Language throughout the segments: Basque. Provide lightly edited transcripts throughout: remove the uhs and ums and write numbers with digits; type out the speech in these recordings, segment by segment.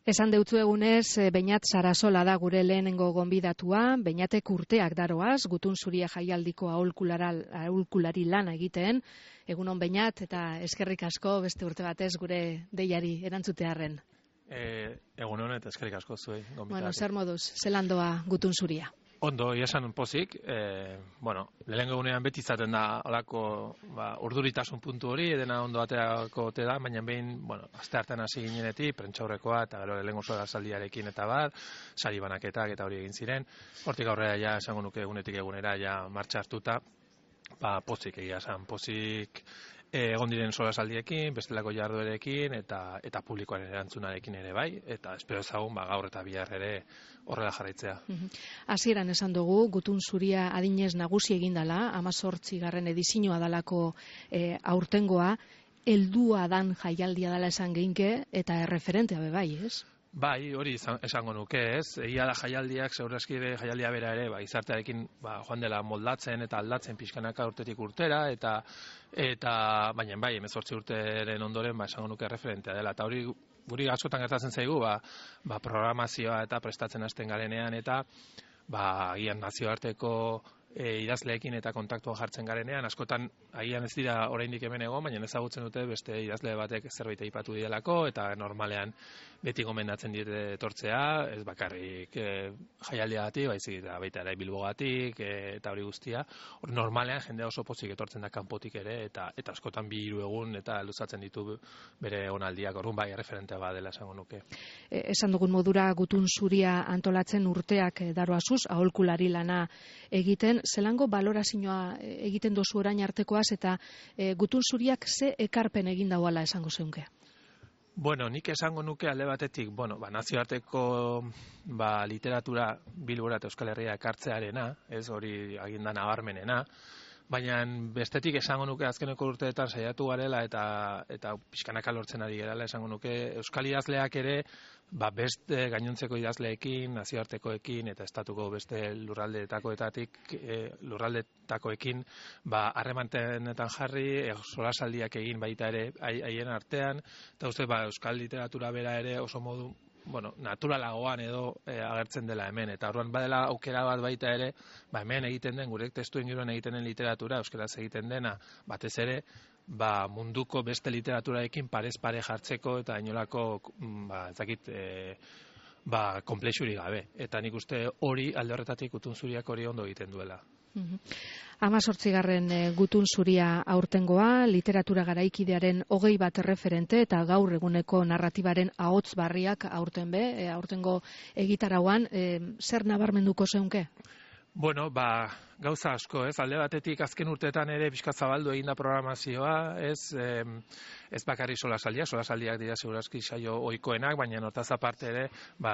Esan deutzu egunez, Beñat Sarasola da gure lehenengo gonbidatua, Beñatek urteak daroaz, Gutun Zuria jaialdiko aholkulari lana egiten. Egunon Beñat, eta eskerrik asko beste urte batez gure deiari erantzutearren. Egunon eta eskerrik asko zuei gonbidatu. Bueno, zer moduz, zelan doa Gutun Zuria? Ondo, esan pozik, lehenengo egunean beti izaten da olako urduritasun puntu hori, edena ondo aterako ote da, baina behin, aste hartan hasi ginenetik, prentsaurrekoa eta gero lehenengo solaldiarekin eta sari banaketak eta hori egin ziren. Hortik aurrera ja esango nuke egunetik egunera ja martxa hartuta, pozik egia esan, pozik egon diren solasaldiekin, bestelako jarduerekin eta publikoaren erantzunarekin ere bai, eta espero ezagun gaur eta bihar ere horrela jarraitzea. Hasieran esan dugu, Gutun Zuria adinez nagusi egindala, 18. edizioa dalako aurtengoa, heldua dan jaialdia dela esan geinke, eta erreferentea be bai, ez? Bai, hori esango nuke, ez? Egia da jaialdiak, segurazki jaialdia bera ere, izartearekin joan dela moldatzen eta aldatzen pixkanaka urtetik urtera, eta baina bai, 18 urteren ondoren esango nuke referentea dela, eta hori guri askotan gertatzen zaigu, programazioa eta prestatzen hasten garenean, eta agian nazioarteko idazleekin eta kontaktua jartzen garenean, askotan agian ez dira oraindik hemen egon, baina ezagutzen dute beste idazle batek zerbait aipatu dielako, eta normalean beti gomendatzen diete etortzea, ez bakarrik jaialdiagatik, baizik eta baita ere Bilbogatik eta hori guztia. Hor normalean jendea oso pozik etortzen da kanpotik ere, eta askotan 2-3 egun eta luzatzen ditu bere onaldiak, orduan bai erreferentea badela esango nuke. Esan dugun modura Gutun Zuria antolatzen urteak daroazuz, aholkulari lana egiten, zelango balorazioa egiten dozu orain artekoaz, eta Gutun Zuriak ze ekarpen egin dauala esango zeunke? Bueno, nik esango nuke alde batetik, nazioarteko literatura Bilbora eta Euskal Herria ekartzearena, ez hori aginda nabarmenena, baina bestetik esango nuke azkeneko urteetan saiatu garela eta pixkanaka lortzen ari gerala esango nuke Euskal idazleak ere beste gainontzeko idazleekin, nazioartekoekin eta estatuko beste lurraldetakoekin harremanetan jarri, solasaldiak egin baita ere haien artean, eta uste Euskal literatura bera ere oso modu naturalagoan edo agertzen dela hemen, eta orduan badela aukera bat baita ere, hemen egiten den, gure testu inguruan egiten den literatura, euskaraz egiten dena, batez ere, munduko beste literaturaekin parez pare jartzeko eta inolako, konplexurik gabe. Eta nik uste hori alde horretatik Gutun Zuriak hori ondo egiten duela. 18. Gutun Zuria aurtengoa, literatura garaikidearen 21 erreferente eta gaur eguneko narratibaren ahots barriak aurtengo egitarauan, zer nabarmenduko zeunke? Bueno, gauza asko, ez? Alde batetik azken urteetan ere pixka zabaldu egin da programazioa, ez bakarri solasaldiak dira segurazki saio ohikoenak, baina hortaz aparte ere,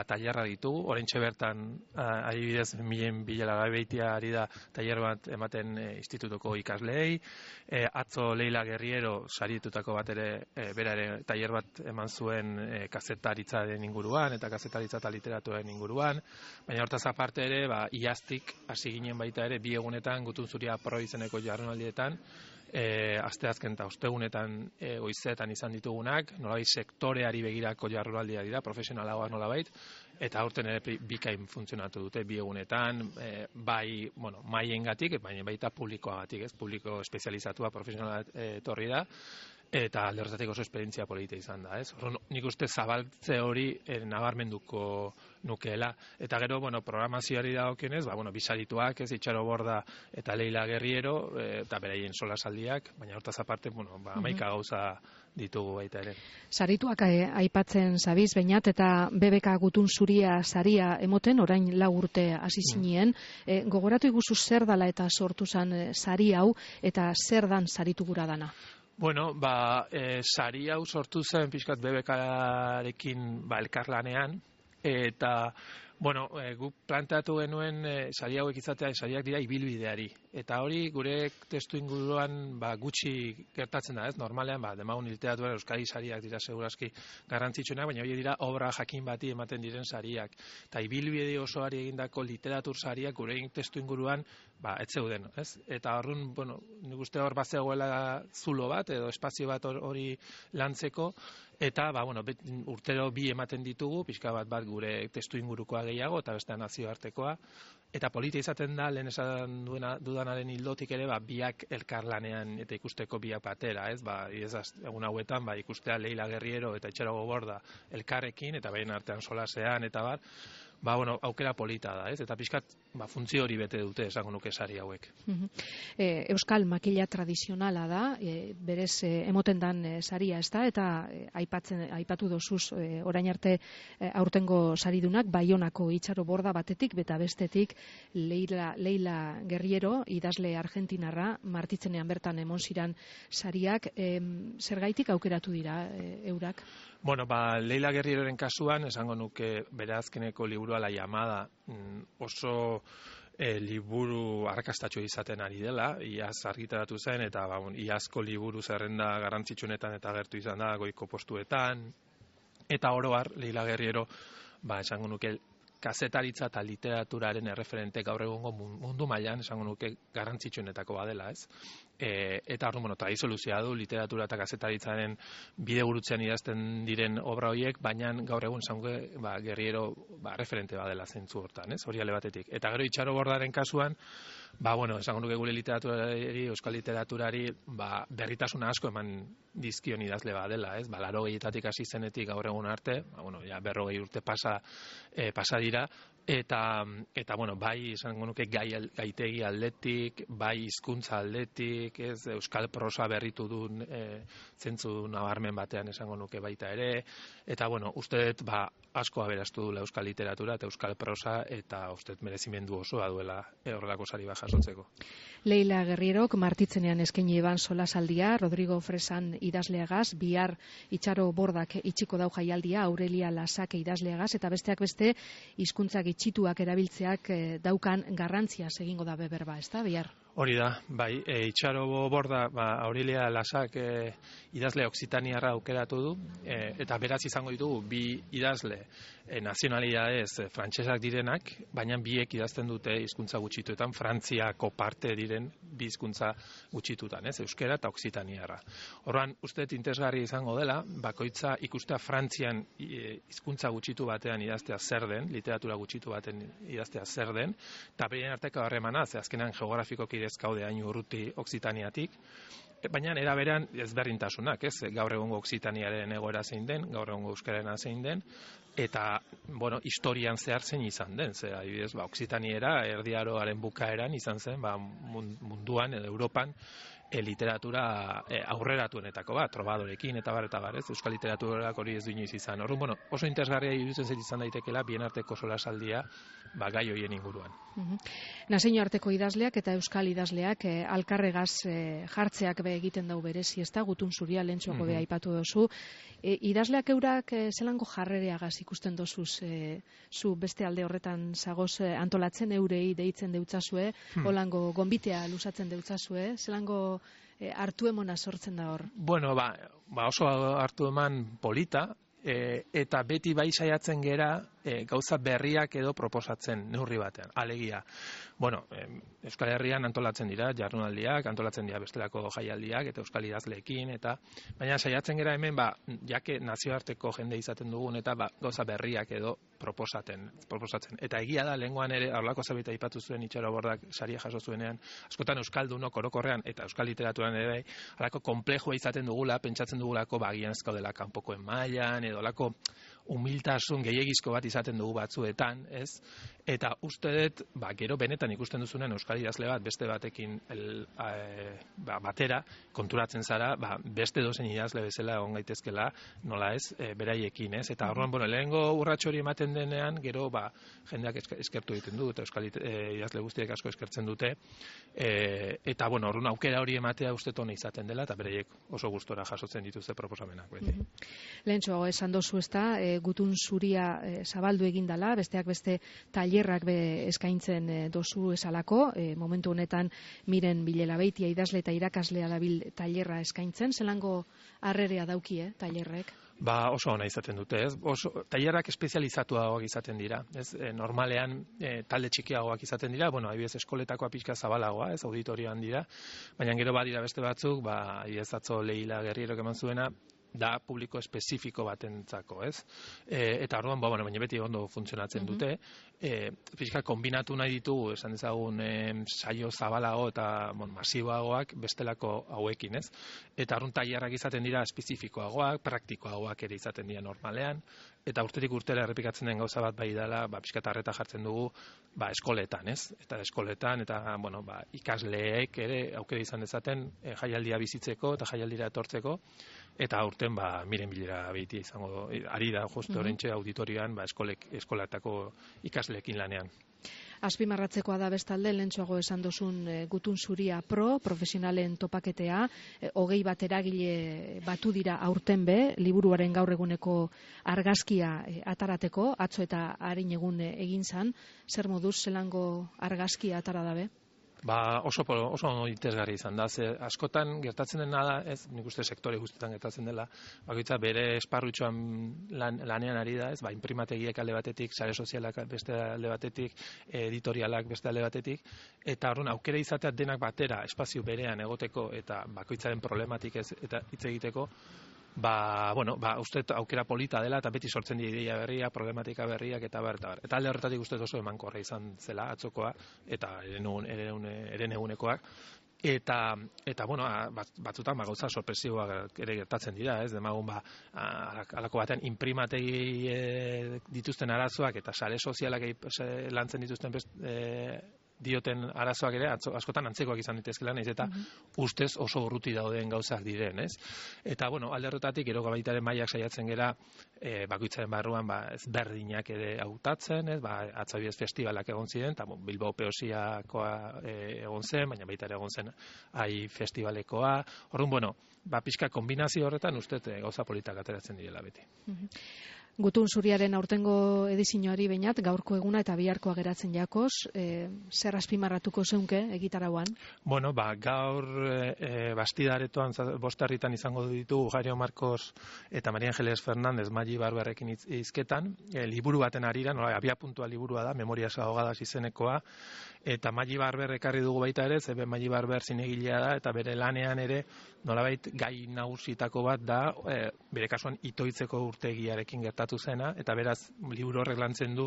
tailerra ditugu, oraintxe bertan adibidez Milen Bilalabeitia ari da tailer bat ematen institutuko ikasleei, atzo Leila Guerriero saritutako bat ere, bera ere tailer bat eman zuen kazetaritzaren inguruan, eta kazetaritza eta literaturaren inguruan, baina hortaz aparte ere, iaztik hasi ginen baita ere, 2 egunetan Gutun Zuria Pro izeneko jardunaldietan, asteazken eta ostegunetan goizetan izan ditugunak, nolabait sektoreari begirako jardunaldiak dira, profesionalagoak nolabait, eta aurten ere bikain funtzionatu dute 2 egunetan, maiengatik, baina baita publikoagatik, publiko espezializatua profesionala etorri da, eta alde horretatik oso esperientzia polita izan da, ez? Nik uste zabaltze hori nabarmenduko nukeela. Eta gero, programazioari dagokionez, bisarituak, Itxaro Borda eta Leila Guerriero, eta beraien solasaldiak, baina hortaz aparte, 11 gauza ditugu baita ere. Sarituak aipatzen zabiz, Beñat, eta BBK Gutun Zuria saria emoten, orain 4 urte hasi zinien, gogoratu iguzu zer dala eta sortu zen sari hau, eta zer dan saritu gura dana? Bueno, sari hau sortu zen pixkat BBK-arekin elkarlanean, eta Bueno, guk planteatu genuen sari hauek izatea, sariak dira ibilbideari. Eta hori gure testu inguruan gutxi gertatzen da, ez? Normalean, demagun literatura euskadi sariak dira segurazki garrantzitsuenak, baina hori dira obra jakin bati ematen diren sariak. Eta ibilbide osoari egindako literatur sariak gure testu inguruan ez zeuden, ez? Eta horren, nik uste hor bazegoela zulo bat edo espazio bat hori lantzeko, eta urtero bi ematen ditugu, pixka bat gure testu ingurukoa gehiago eta beste nazioartekoa, eta polita izaten da, lehen esan dudanaren hildotik ere, biak elkarlanean eta ikusteko biak batera, ez? Egun hauetan, ikustea Leila Guerriero eta Itxarogo Borda elkarrekin, eta baien artean solasean, eta aukera polita da, ez? Eta pixkat, funtzio hori bete dute, esango nuke sari hauek. Euskal makila tradizionala da, berez emoten dan saria, ez da, eta aipatu dozuz orain arte aurtengo saridunak, Baionako Itxaro Borda batetik, eta bestetik Leila Guerriero, idazle argentinarra, martitzenean bertan emon ziran sariak, zergaitik aukeratu dira eurak? Leila Guerrieroren kasuan, esango nuke bere azkeneko liburua La Llamada oso liburu arrakastatxo izaten ari dela, iaz argitaratu zen, eta iazko liburu zerrenda garrantzitsunetan eta agertu izan da goiko postuetan, eta oro har, Leila Guerriero, esango nuke kazetaritza eta literaturaren erreferente gaur egungo mundu mailan, esango nuke garrantzitsuenetako badela, ez? Eta hor, tradizio du literatura eta kazetaritzaren bide gurutzean idazten diren obra horiek, baina gaur egun esango Guerriero referente badela zentzu hortan, ez? Hori ale batetik. Eta gero Itxaro Bordaren kasuan, esango nuke gure literaturari, euskal literaturari, berritasuna asko eman dizkion idazle badela, ez? 80etatik hasi zenetik gaur egun arte, 40 urte pasa dira, eta bai esango nuke gaitegi aldetik, bai hizkuntza aldetik, ez euskal prosa berritu duen zentzu nabarmen batean esango nuke baita ere, eta uste dut asko aberastu duela euskal literatura eta euskal prosa, eta uste dut merezimendu osoa duela horrelako sari bat jasotzeko. Leila Guerrierok martitzenean eskaini eban solasaldia, Rodrigo Fresan idazleagaz, bihar Itxaro Bordak itxiko dau jaialdia, Aurelia Lasake idazleagaz, eta besteak beste hizkuntzak itxituak erabiltzeak daukan garrantzia egingo da beberba, ez da, bihar? Hori da, Itxaro Borda, Aurelia Lasak idazle oksitaniarra aukeratu du, eta beraz izango ditugu bi idazle nazionalidadez frantsesak direnak, baina biek idazten dute hizkuntza gutxituetan, Frantziako parte diren bi hizkuntza gutxitutan, ez, euskera eta oksitaniarra. Horran, uste interesgarri izango dela, bakoitza ikustea Frantzian hizkuntza gutxitu batean idaztea zer den, literatura gutxitu baten idaztea zer den, eta behien arteko harremana, ze azkenan geografikoki ezkaude hain urruti oksitaniatik, baina era berean ezberdintasunak, ez? Gaur egungo oksitaniaren egoera zein den, gaur egungo euskararena zein den, eta, historian zehar zein izan den, ze adibidez, oksitaniera Erdi Aroaren bukaeran izan zen, munduan edo Europan literatura aurreratuenetako bat, trobadorekin eta bar, ez? Euskal literaturak hori ez du inoiz izan. Orduan, oso interesgarria iruditzen zait izan daitekela bien arteko solasaldia gai horien inguruan. Nazio arteko idazleak eta euskal idazleak alkarregaz jartzeak egiten dau berezi, ez da, Gutun Zuria lehentxoko be aipatu dozu. Idazleak eurak zelango jarrereagaz ikusten dozuz, zu beste alde horretan zagoz antolatzen eurei deitzen deutzazue, holango gonbitea lusatzen deutzazue, zelango hartu emona sortzen da hor? Oso hartu eman polita, eta beti bai saiatzen gera gauza berriak edo proposatzen neurri batean, alegia. Euskal Herrian antolatzen dira jardunaldiak, antolatzen dira bestelako jaialdiak eta euskal idazleekin, baina saiatzen gera hemen, jake nazioarteko jende izaten dugun, eta gauza berriak edo proposatzen. Eta egia da, lehengoan ere, horlako zabita aipatu zuen Itxaro Bordak saria jaso zuenean, askotan euskaldunok orokorrean eta euskal literaturan ere, halako konplejua izaten dugula, pentsatzen dugulako agian ez gaudela kanpokoen mailan, edo halako humiltasun gehiegizko bat izaten dugu batzuetan, ez? Eta uste dut, gero benetan ikusten duzunen euskal idazle bat beste batekin batera konturatzen zara, beste dozen idazle bezala egon gaitezkela, nola ez, beraiekin, ez? Eta horren, lehengo urrats hori ematen denean, gero jendeak eskertu egiten du, eta euskal idazle guztiek asko eskertzen dute, eta horren aukera hori ematea uste tona izaten dela, eta beraiek oso gustora jasotzen dituzte proposamenak beti. Lehentxo, esan dozu ez da, gutun zuria zabaldu egindala, besteak beste tailerrak eskaintzen dozu esalako, momentu honetan Miren Bilela-Beitia idazle eta irakaslea dabil tailerra eskaintzen, zelango harrerea dauki, tailerrek? Oso ona izaten dute, ez? Tailerrak espezializatuagoak izaten dira, ez? Normalean talde txikiagoak izaten dira, adibidez eskoletakoa pixka zabalagoa, ez? Auditorioan dira, baina gero badira beste batzuk, adibidez atzo Leila Gerrierok eman zuena, da publiko espezifiko batentzako, ez? Eta orduan, baina beti ondo funtzionatzen dute. Pixka kombinatu nahi ditugu, esan dezagun, saio zabalago eta masiboagoak bestelako hauekin, ez? Eta orduan tailerrak izaten dira espezifikoagoak, praktikoagoak ere izaten dira normalean, eta urterik urtera errepikatzen den gauza bat bai dela, pixka tarreta jartzen dugu, eskoletan, ez? Eta eskoletan, eta, ikasleek ere aukera izan dezaten jaialdia bizitzeko eta jaialdira etortzeko, eta aurten Miren Bilela-Beitia izango ari da justu orentxe auditorioan eskolatako ikasleekin lanean. Azpimarratzekoa da bestalde, lehentxoago esan dozun gutun zuria profesionalen topaketea, 20 eragile batu dira aurten liburuaren gaur eguneko argazkia atarateko, atzo eta harin egun egin zan, zer moduz zelango argazkia atara dabe? Oso interesgarri izan da, askotan gertatzen dena da, ez, nik uste sektore guztietan gertatzen dela, bakoitza bere esparrutxoan lanean ari da, ez, inprimategiek alde batetik, sare sozialak beste alde batetik, editorialak beste alde batetik, eta horren aukera izatea denak batera, espazio berean egoteko eta bakoitzaren problematik ez eta hitz egiteko, uste aukera polita dela eta beti sortzen dira ideia berria, problematika berriak eta eta alde horretatik uste oso emankorra izan zela atzokoa eta eren egunekoak. Eta batzutan gauza sorpresiboak ere gertatzen dira, ez? Demagun alako batean inprimategi dituzten arazoak eta sare sozialak lantzen dituzten dioten arazoak ere askotan antzekoak izan ditezkeela, naiz eta ustez oso urruti dauden gauzak diren, ez? Eta alde horretatik gero baitaren mailak saiatzen gera bakoitzaren barruan ezberdinak ere hautatzen, ez? Atzabidez festivalak egon ziren, eta Bilbao Peosiakoa egon zen, baina baita ere egon zen AI festivalekoa. Orduan, pixka kombinazio horretan ustez gauza politak ateratzen direla beti. Gutun zuriaren aurtengo edizioari behinat, gaurko eguna eta biharkoa geratzen jakoz, zer azpimarratuko zeunke egitarauan? Gaur Bastidaretoan 5 herritan izango ditugu Jario Marcos eta Maria Angeles Fernández Maggi Barberrekin hizketan, liburu baten arira, abiapuntua liburua da, Memorias ahogadas izenekoa, eta Maggi Barber ekarri dugu baita ere, zebe Maggi Barber zinegilea da, eta bere lanean ere, nolabait gai nagusitako bat da, bere kasuan itoitzeko urtegiarekin gertatu zena, eta beraz, liburu horrek lantzen du,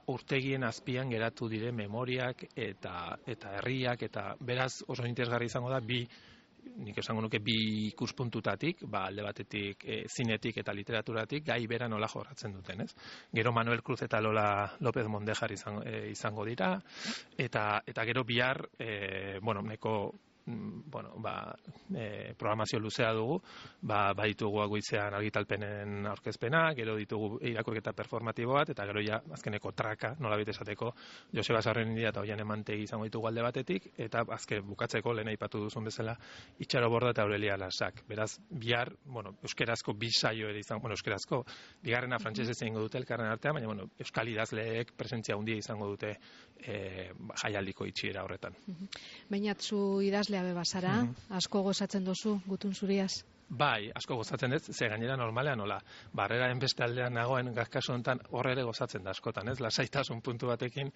urtegien azpian geratu dire memoriak eta herriak, eta beraz oso interesgarri izango da, nik esango nuke bi ikuspuntutatik, alde batetik zinetik eta literaturatik, gai bera nola jorratzen duten, ez? Gero Manuel Cruz eta Lola López Mondejar izango dira, eta gero bihar, neko programazio luzea dugu, baditugu goizean argitalpenen aurkezpena, gero ditugu irakurketa performatibo bat, eta gero ja azkeneko traka, nolabait esateko, Joseba Sarrenindia eta Oian Emantegi izango ditugu alde batetik, eta azken bukatzeko lehen aipatu duzun bezala Itxaro Borda eta Aurelia Lasak. Beraz, bihar, euskerazko bi saio ere izango, euskerazko, bigarrena frantsesez egingo dute elkarren artean, baina euskal idazleek presentzia handia izango dute jaialdiko itxiera horretan. Bainatzu idazlea bebazara, asko gozatzen dozu gutun zuriaz? Bai, asko gozatzen ez, ze gainera normalean nola, barreraren beste aldean nagoen kasu honetan horre ere gozatzen da askotan, ez? Lasaitasun puntu batekin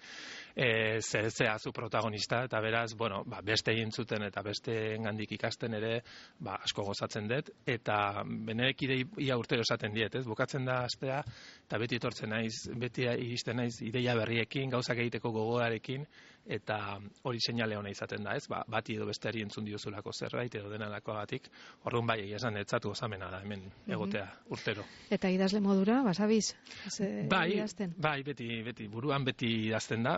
zea zu protagonista, eta beraz, beste egin zuten eta beste engandik ikasten ere, asko gozatzen dut, eta benerek ia urtero esaten diet, ez? Bukatzen da astea, eta beti etortzen naiz, beti iristen naiz ideia berriekin, gauzak egiteko gogoarekin, eta hori seinale ona izaten da, ez? Bati edo besteari entzun diozulako zerbait edo denalakoagatik, orduan bai, esan etzatu gozamena da hemen egotea urtero. Eta idazle modura, basabiz? Bai, beti, buruan beti idazten da,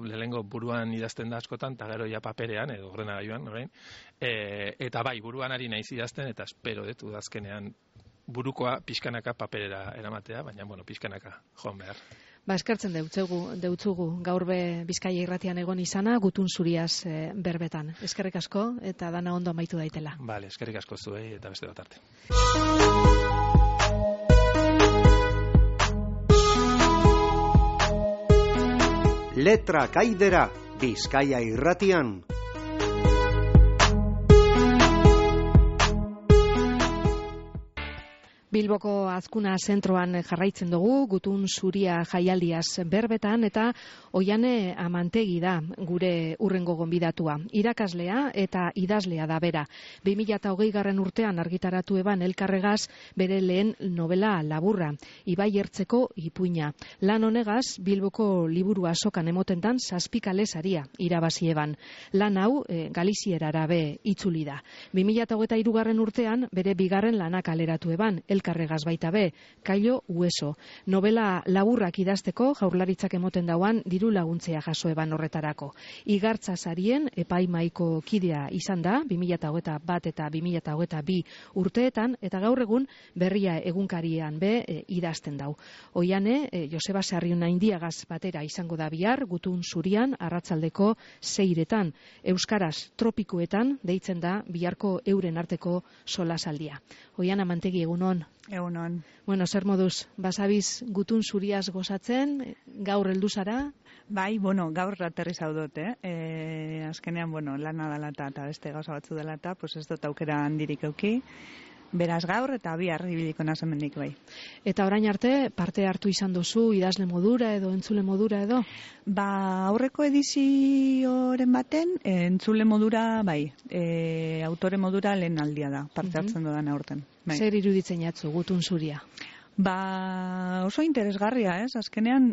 lehenengo buruan idazten da askotan, eta gero ja paperean, edo ordenagailuan, orain. Eta bai, buruan ari naiz idazten, eta espero dut udazkenean burukoa pixkanaka paperera eramatea, baina, pixkanaka joan behar. Eskertzen deutzugu gaur Bizkaia irratian egon izana, gutun zuriaz berbetan. Eskerrik asko eta dana ondo amaitu daitela. Eskerrik asko zuei eta beste bat arte. Letrak aidera, Bizkaia Irratian. Bilboko Azkuna zentroan jarraitzen dugu, gutun zuria jaialdiaz berbetan, eta Oiane Amantegi da gure urrengo gonbidatua. Irakaslea eta idazlea da bera. 2020 urtean argitaratu eban elkarregaz bere lehen novela laburra, Ibai Ertzeko ipuina. Lan honegaz, Bilboko liburu azokan emotentan 7 kalesaria irabazi eban. Lan hau galizierara be itzuli da. 2023 urtean bere bigarren lanak kaleratu eban, elkarregaz baita be, Kailo Hueso. Novela laburrak idazteko jaurlaritzak emoten dauan diru laguntzea jaso eban horretarako. Igartza sarien epaimaiko kidea izan da 2021 eta 2022 urteetan, eta gaur egun Berria egunkarian be idazten dau. Oiane, Joseba Sarriona Indiagaz batera izango da bihar, gutun zurian, arratsaldeko 6etan. Euskaraz tropikoetan deitzen da biharko euren arteko solasaldia. Oiana Amantegi, egunon. Egunon. Bueno, zer moduz, basabiz gutun zuriaz gozatzen, gaur heldu zara? Bai, gaur aterri zaudot, azkenean, lana dela eta beste gauza batzu dela eta, pues ez dut aukera handirik euki. Beraz gaur eta bihar ibiliko nazen mendik bai. Eta orain arte parte hartu izan duzu idazle modura edo entzule modura edo? Aurreko edizioren baten entzule modura bai, autore modura lehen aldia da, parte hartzen dudan aurten. Bai. Zer iruditzen jatzu gutun zuria? Oso interesgarria, ez? Azkenean,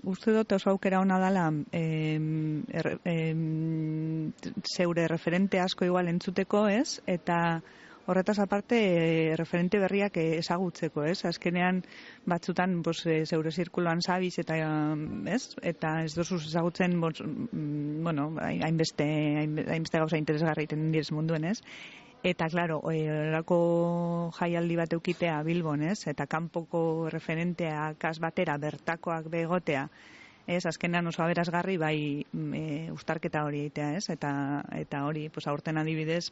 uste dut oso aukera ona dela zeure referente asko igual entzuteko, ez? Eta horretaz aparte referente berriak ezagutzeko, ez? Azkenean batzutan zeure zirkuloan zabiz eta ez? Eta ez dozuz ezagutzen hainbeste gauza interesgarri iten direz munduen, ez? Eta, klaro, horako jaialdi bat eukitea Bilbon, ez? Eta kanpoko referenteak batera bertakoak begotea, ez? Azkenean oso aberazgarri bai uztarketa hori egitea, ez? Eta hori, aurten adibidez,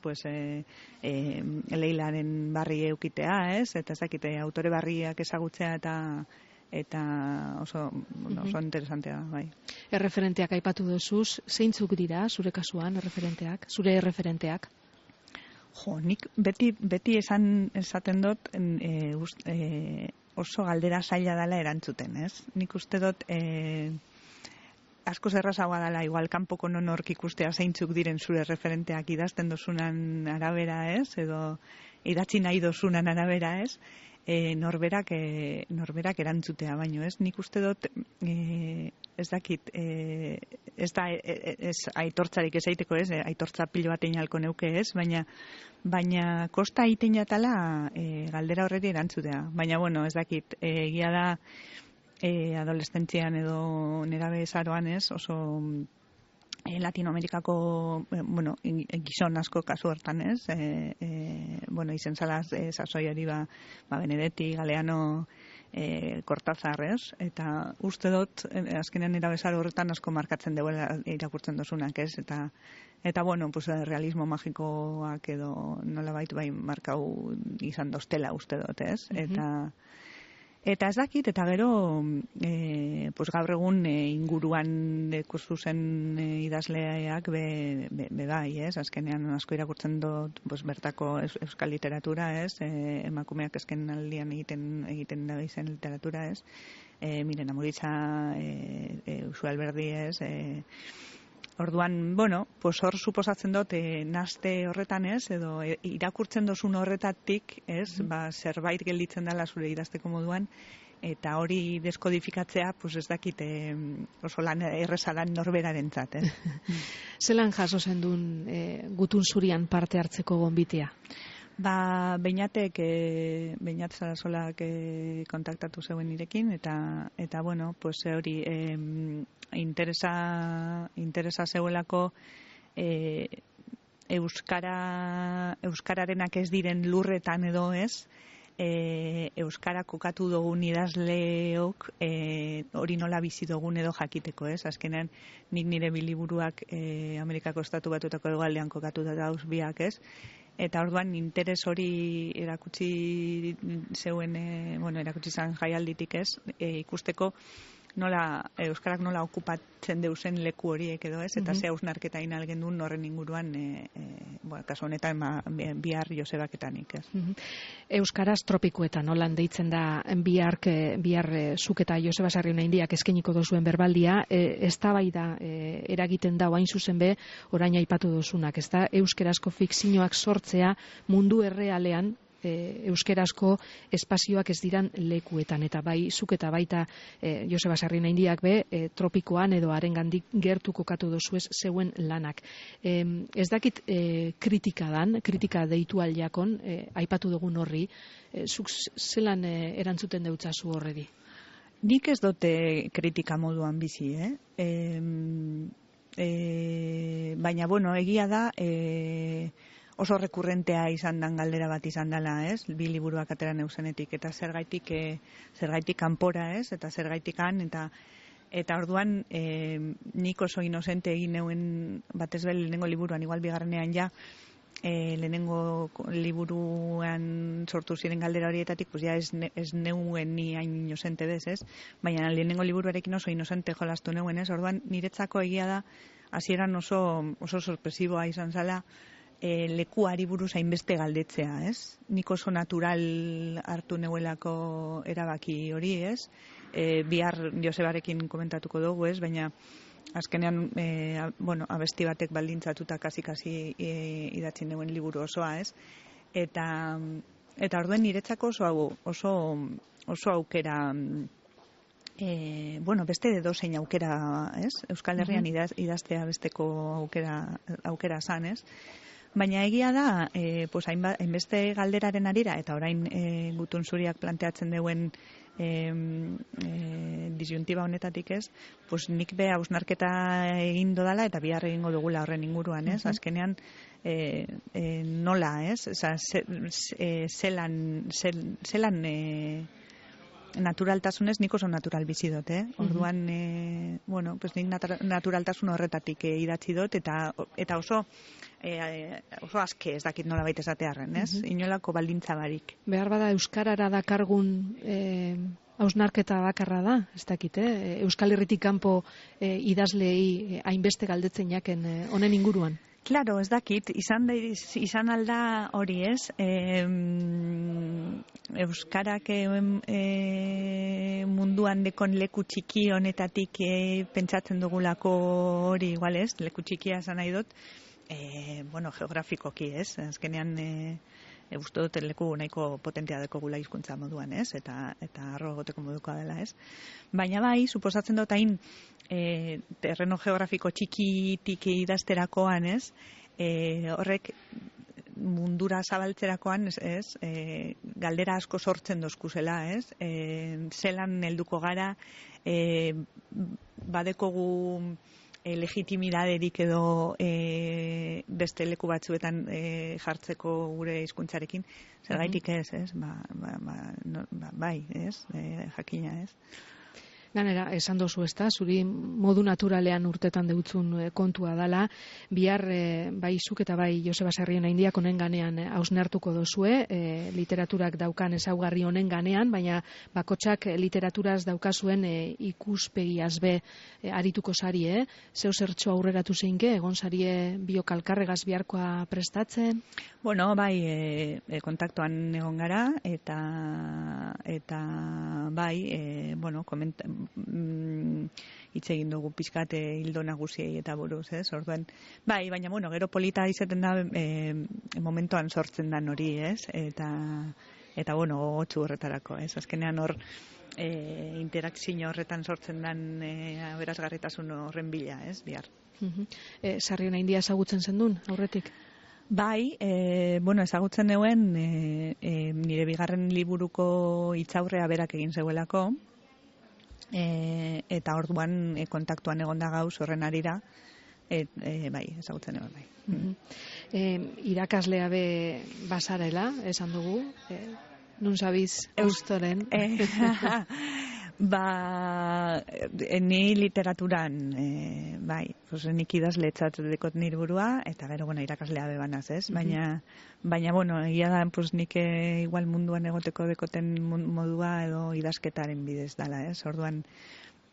Leilaren barri eukitea, ez? Eta ez dakite, autore barriak ezagutzea eta oso interesantea, bai. Erreferenteak aipatu dozuz, zeintzuk dira zure kasuan zure erreferenteak? Nik beti esaten dut oso galdera zaila dela erantzuten, ez? Nik uste dut asko zerrazagoa dela igual kanpoko nonork ikustea zeintzuk diren zure referenteak idazten dozunan arabera, ez? Edo idatzi nahi dozunan arabera, ez? Norberak erantzutea baino, ez? Nik uste dut ez dakit, ez da aitortzarik ez aiteko, ez? Aitortza pilo bat einalko neuke, ez? Baina kosta egiten jatala galdera horreti erantzutea. Baina, ez dakit, egia da adolescentzian edo nerabe zaroan, ez? Oso Latinoamerikako gizon asko kasu hortan, ez? Izen zala sasoiari Benedetti, Galeano, Cortázar, ez? Eta uste dut, azkenean erabezaro horretan asko markatzen deuela irakurtzen dozunak, ez? Eta realismo magikoak edo nolabait bai markau izan dostela uste dut, ez? Eta ez dakit, eta gero gaur egun inguruan ikusten idazleak be bai, ez? Azkenean asko irakurtzen dut bertako euskal literatura, ez? Emakumeak azken aldian egiten da izen literatura, ez? Miren Amoritza, Usu Alberdi, ez? Orduan, hor suposatzen dut naste horretan, ez? Edo irakurtzen dozun horretatik, ez? Zerbait gelditzen dela zure idazteko moduan, eta hori deskodifikatzea, ez dakit oso lan errezalan norberarentzat, ez? Zelan jaso zendun gutun zurian parte hartzeko gonbitea? Beñat Sarasolak kontaktatu zeuen nirekin, eta hori interesa zeuelako euskararenak ez diren lurretan edo ez, euskara kokatu dugun idazleok hori nola bizi dugun edo jakiteko, ez? Azkenean nik nire biliburuak Amerikako Estatu Batuetako hegoaldean kokatu dauz biak, ez? Eta orduan interes hori erakutsi zeuen, erakutsi zan jaialditik, ez? Ikusteko euskarak nola okupatzen deusen leku horiek edo ez, eta ze hausnarketa inalgen duen horren inguruan, kasu honetan bihar Josebaketanik, ez. Euskaraz tropikuetan, nolan deitzen da bihar zuk eta Joseba Sarrionaindiak eskainiko dozuen berbaldia, eztabaida eragiten da hain zuzen be, orain aipatu dozunak, ez da, euskerazko fikzioak sortzea mundu errealean, euskerazko espazioak ez diran lekuetan, eta bai zuk eta baita Joseba Sarrionaindiak be tropikoan edo harengandik gertu kokatu dozuez zeuen lanak. Ez dakit kritika deitu aldiakon, aipatu dugun horri, zuk zelan erantzuten deutzazu horredi? Nik ez dute kritika moduan bizi, baina, bueno, egia da, oso rekurrentea izan dan galdera bat izan dela, ez? Bi liburuak atera neuzenetik, eta zergaitik kanpora, ez? Eta zergaitikan, eta orduan nik oso inozente egin neuen batez be lehenengo liburuan, igual bigarrenean ja, lehenengo liburuan sortu ziren galdera horietatik, pues ja ez neuen ni hain inozente bez, ez? Baina lehenengo liburuarekin oso inozente jolastu neuen, ez? Orduan niretzako egia da, hasieran oso sorpresiboa izan zala, lekuari buruz hainbeste galdetzea, ez? Nik oso natural hartu neuelako erabaki hori, ez? Bihar Josebarekin komentatuko dugu, ez? Baina azkenean, abesti batek baldintzatuta kasi idatzi neuen liburu osoa, ez? Eta orduen niretzako oso aukera, beste edozein aukera, ez? Euskal Herrian idaztea besteko aukera zan, ez? Baina egia da, hainbeste galderaren arira, eta orain Gutun Zuriak planteatzen duen disyuntiba honetatik, ez? Nik be hausnarketa egin dodala eta bihar egingo dugula horren inguruan, ez? Azkenean, nola, ez? Zelan naturaltasunez nik oso natural bizi dut, Orduan, nik naturaltasun horretatik idatzi dut, eta oso aske ez dakit nola baita esatearren, ez? Inolako baldintza barik. Behar bada euskarara dakargun hausnarketa bakarra da, ez dakit, Euskal Herritik kanpo idazleei hainbeste galdetzen jaken honen inguruan. Claro, ez dakit, izan alda hori, ez? Euskarak munduan dekon leku txiki honetatik pentsatzen dugulako hori, igual ez? Leku txikia esan nahi dut, geografikoki, ez? Azkenean, uste dut leku nahiko potentea deko gula hizkuntza moduan, ez? Eta arro egoteko modukoa dela, ez? Baina bai, suposatzen dut hain terreno geografiko txikitik idazterakoan, ez? Horrek mundura zabaltzerakoan, ez? Galdera asko sortzen dozkuzela, ez? Zelan helduko gara, badekogu legitimidaderik edo beste leku batzuetan jartzeko gure hizkuntzarekin, zergaitik ez, ez? Bai, ez? Jakina, ez? Ganera, esan dozu ezta, zuri modu naturalean urtetan deutzun kontua dala, bihar bai zuk eta bai Joseba Sarrionaindiak honen ganean hausnartuko dozue, literaturak daukan ezaugarri honen ganean, baina bakotxak literaturaz daukazuen ikuspegiaz be arituko sarie, zeu zertxo aurreratu zeinke, egon sarie biokalkarregaz biharkoa prestatzen? Bueno, bai, kontaktuan egon gara, eta bai, hitz egin dugu pixkat hildo nagusiei eta buruz, ez? Orduan, bai, baina, gero polita izaten da momentuan sortzen dan hori, ez? Eta gogotsu horretarako, ez? Azkenean hor interakzio horretan sortzen dan aberasgarritasun horren bila, ez? Bihar. Sarrionaindia ezagutzen zendun, aurretik? Bai, ezagutzen neuen nire bigarren liburuko hitzaurrea berak egin zeuelako, eta orduan kontaktuan egonda gauz horren arira, bai, ezagutzen egon bai. Irakaslea be basarela, esan dugu, nun zabiz eustoren? Ni literaturan, bai, nik idazletzat dekot nire burua, eta gero, irakaslea bebanaz, ez? Baina, egia da, nik igual munduan egoteko dekoten modua edo idazketaren bidez dala, ez? Orduan,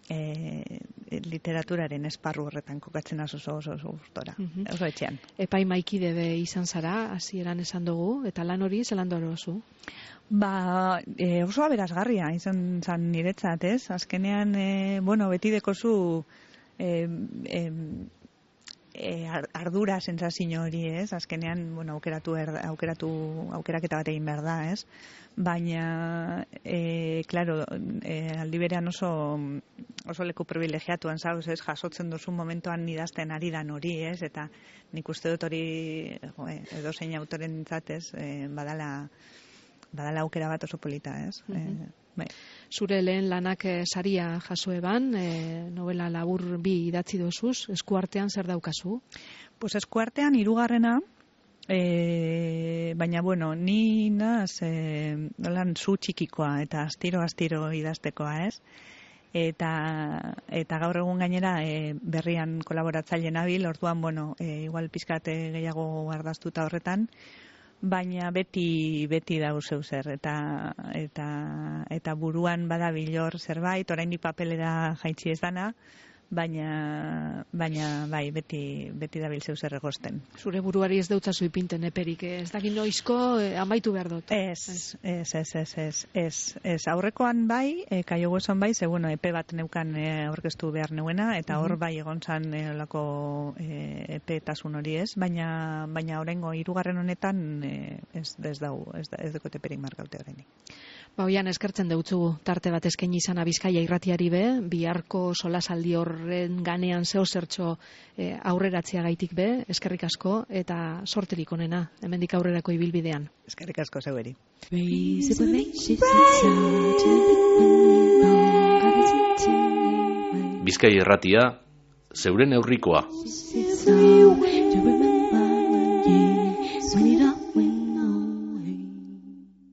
literaturaren esparru horretan kokatzen oso gustora, oso etxean. Epaimaikide be izan zara, hasieran esan dugu, eta lan hori zelan dorozu? Oso aberasgarria izan zan niretzat, ez? Azkenean, beti dekozu ardura sentsazio hori, ez? Azkenean, aukeraketa bat egin behar da, ez? Baina, claro, aldi berean oso leku privilegiatuan zauz, ez? Jasotzen duzu momentuan idazten ari dan hori, ez? Eta nik uste dut hori edozein autoren ez? Badala aukera bat oso polita, ez? Bai. Zure lehen lanak saria jaso eban, novela labur 2 idatzi dozuz, eskuartean zer daukazu? Pues eskuartean 3. Baina, ni naz nolan zu txikikoa eta astiro idaztekoa, ez? Eta gaur egun gainera berrian kolaboratzaile nabil, orduan, igual pizkate gehiago ardaztuta horretan, baina beti dau zeu zer, eta buruan badabilor zerbait, oraindik papelera jaitsi ez dana, baina bai, beti dabil zeu zer egosten. Zure buruari ez deutzazu ipinten eperik, ez dakit noizko amaitu behar dut. Ez. Aurrekoan bai, kaiogueson bai, ze epe bat neukan aurkeztu behar neuena, eta hor bai egon zan olako epetasun hori, ez? Baina oraingo 3. honetan ez dekot eperik markaute orainik. Oian eskertzen deutzugu tarte bat eskaini izana Bizkaia irratiari be, biharko solasaldi horren ganean zeo zertxo aurreratzea gaitik be, eskerrik asko eta sorterik onena, hemendik aurrerako ibilbidean. Eskerrik asko zeueri. Bizkaia irratia, zeure neurrikoa.